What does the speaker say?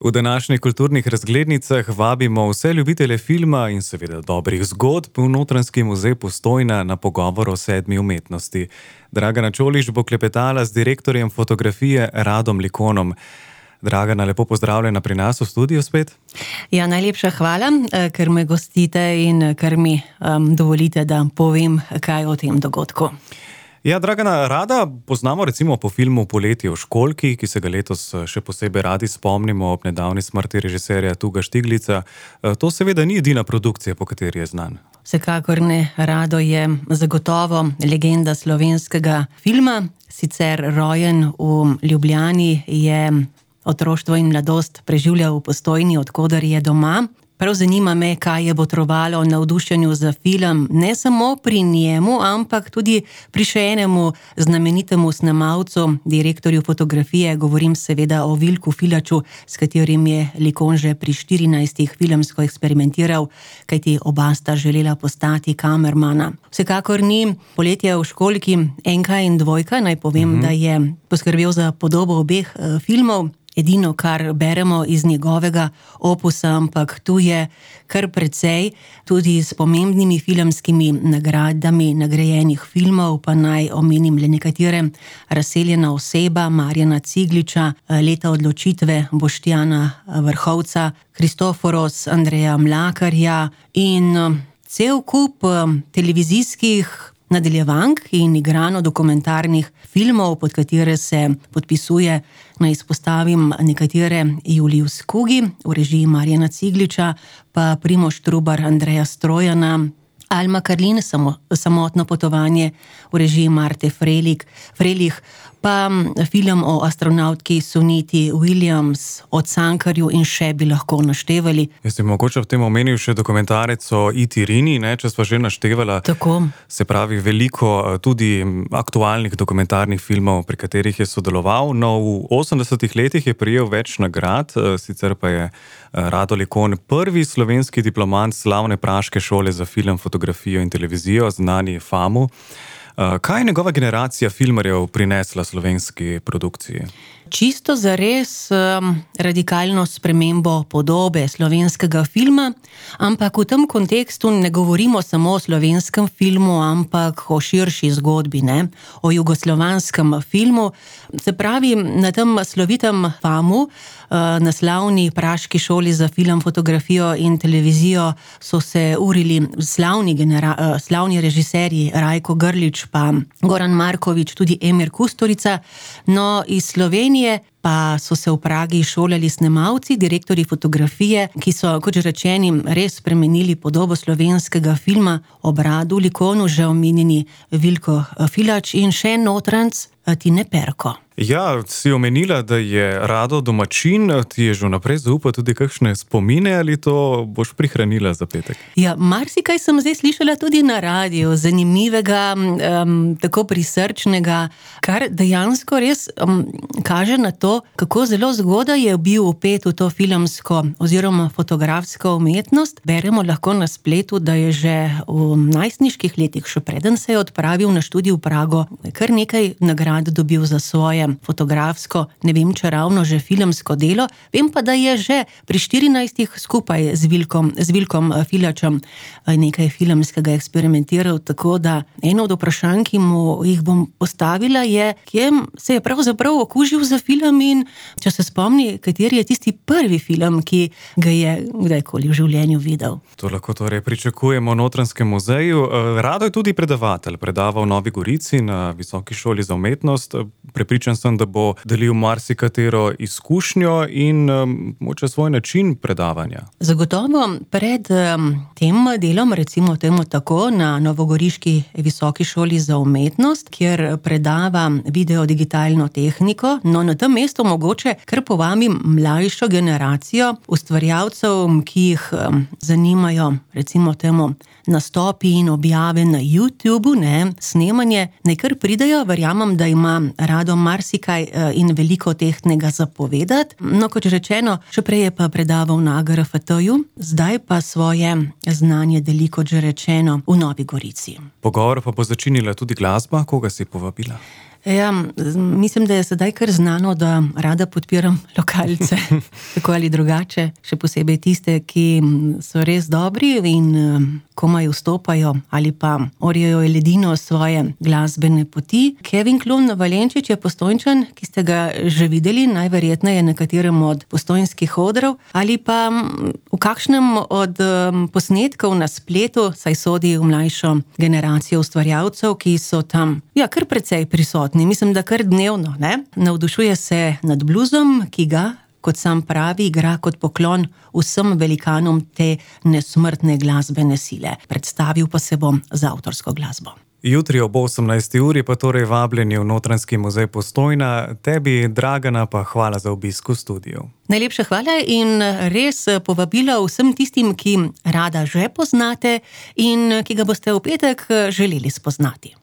V današnjih kulturnih razglednicah vabimo vse ljubitelje filma in seveda dobrih zgodb v Notranjski muzej Postojna na pogovor o 7. umetnosti. Dragana Čolić bo klepetala z direktorjem fotografije Radom Likonom. Dragana, lepo pozdravljena pri nas v studiu spet. Ja, najlepša hvala, ker me gostite in ker mi dovolite, da povem kaj o tem dogodku. Ja, Dragana, Rada poznamo recimo po filmu Poletje v školjki, ki se ga letos še posebej radi spomnimo ob nedavni smrti režiserja Tuga Štiglica. To seveda ni edina produkcija, po kateri je znan. Vsekakor ne, Rado je zagotovo legenda slovenskega filma. Sicer rojen v Ljubljani, je otroštvo in mladost preživljal v Postojni, od koder je doma. Prav zanima me, kaj je botrovalo navdušenju za film, ne samo pri njemu, ampak tudi pri še enemu znamenitemu snemalcu, direktorju fotografije, govorim seveda o Vilku Filaču, s katerim je Likon že pri 14 filmsko eksperimentiral, kajti oba sta želela postati kamermana. Vsekakor ni Poletje v školjki 1 in 2, naj povem, da je poskrbel za podobo obeh filmov. Edino, kar beremo iz njegovega opusa, ampak tu je kar precej, tudi s pomembnimi filmskimi nagradami nagrajenih filmov, pa naj omenim le nekatere: Razseljena oseba Marjana Cigliča, Leta odločitve Boštjana Vrhovca, Kristoforos Andreja Mlakarja in cel kup televizijskih nadaljevank in igrano-dokumentarnih filmov, pod katere se podpisuje, naj izpostavim nekatere: Julius Kugi v režiji Marjana Cigliča, pa Primož Trubar Andreja Strojana, Alma Karlin, Samotno potovanje v režiji Marte Frelih, pa film o astronavtki Suniti Williams, o Cankarju in še bi lahko naštevali. Jaz bi mogoče v tem omenil še dokumentarec o E.T. Rini, če sva že naštevala. Tako. Se pravi, veliko tudi aktualnih dokumentarnih filmov, pri katerih je sodeloval. No, v 80-ih letih je prejel več nagrad, sicer pa je Rado Likon prvi slovenski diplomant slavne praške šole za film, fotografijo in televizijo, znani FAMU. Kaj je njegova generacija filmarjev prinesla slovenski produkciji? Čisto zares radikalno spremembo podobe slovenskega filma, ampak v tem kontekstu ne govorimo samo o slovenskem filmu, ampak o širši zgodbi, o jugoslovanskem filmu. Se pravi, na tem slovitem FAMU, na slavni praški šoli za film, fotografijo in televizijo, so se urili slavni režiserji Rajko Grlić, pa Goran Marković, tudi Emir Kusturica. No, iz Slovenije pa so se v Pragi šolali snemalci, direktorji fotografije, ki so, kot že rečenim, res spremenili podobo slovenskega filma, ob Radu Likonu že omenjeni Vilko Filač in še Notranjc Tine Perko. Ja, si omenila, da je Rado domačin, ti je že vnaprej zaupal tudi kakšne spomine, ali to boš prihranila za petek? Ja, marsikaj sem zdaj slišala tudi na radiju, zanimivega, tako prisrčnega, kar dejansko res kaže na to, kako zelo zgodaj je bil vpet v to filmsko oziroma fotografsko umetnost. Beremo lahko na spletu, da je že v najstniških letih, še preden se je odpravil na študij v Prago, kar nekaj nagrad dobil za svoje fotografsko, ne vem, če ravno že filmsko delo, vem pa, da je že pri 14 skupaj z Vilkom Filačem nekaj filmskega eksperimentiral, tako da eno od vprašanj, ki mu jih bom postavila, je, kje se je pravzaprav okužil za film in če se spomni, kateri je tisti prvi film, ki ga je kdajkoli v življenju videl. To lahko torej pričakujemo v Notranjskem muzeju. Rado je tudi predavatelj, predava v Novi Gorici na Visoki šoli za umetnost. Prepričan sem, da bo delil marsikatero izkušnjo in moče svoj način predavanja. Zagotovo pred tem delom, recimo temu tako, na Novogoriški Visoki šoli za umetnost, kjer predava video-digitalno tehniko, no na tem mestu mogoče kar povabim mlajšo generacijo ustvarjalcev, ki jih zanimajo, recimo temu, nastopi in objave na YouTubu, snemanje, naj kar pridejo, verjamem, da ima Rado marsikaj in veliko tehtnega zapovedati. No, kot rečeno, še prej je pa predaval na AGRFT-ju, zdaj pa svoje znanje deli, kot že rečeno, v Novi Gorici. Pogovor pa bo začinila tudi glasba, koga si povabila? Ja, mislim, da je sedaj kar znano, da rada podpiram lokalce, tako ali drugače, še posebej tiste, ki so res dobri in komaj vstopajo ali pa orijo ledino svoje glasbene poti. Kevin Klun Valenčič je Postojnčan, ki ste ga že videli, najverjetneje na katerem od postojnskih odrov ali pa v kakšnem od posnetkov na spletu, saj sodi v mlajšo generacijo ustvarjalcev, ki so tam, kar precej prisotni. Mislim, da kar dnevno, ne? Navdušuje se nad bluzom, ki ga, kot sam pravi, igra kot poklon vsem velikanom te nesmrtne glasbene sile. Predstavil pa se bom z avtorsko glasbo. Jutri ob 18. uri pa torej vabljeni v Notranjski muzej Postojna. Tebi, Dragana, pa hvala za obisk v studiu. Najlepša hvala in res povabilo vsem tistim, ki rada že poznate in ki ga boste v petek želeli spoznati.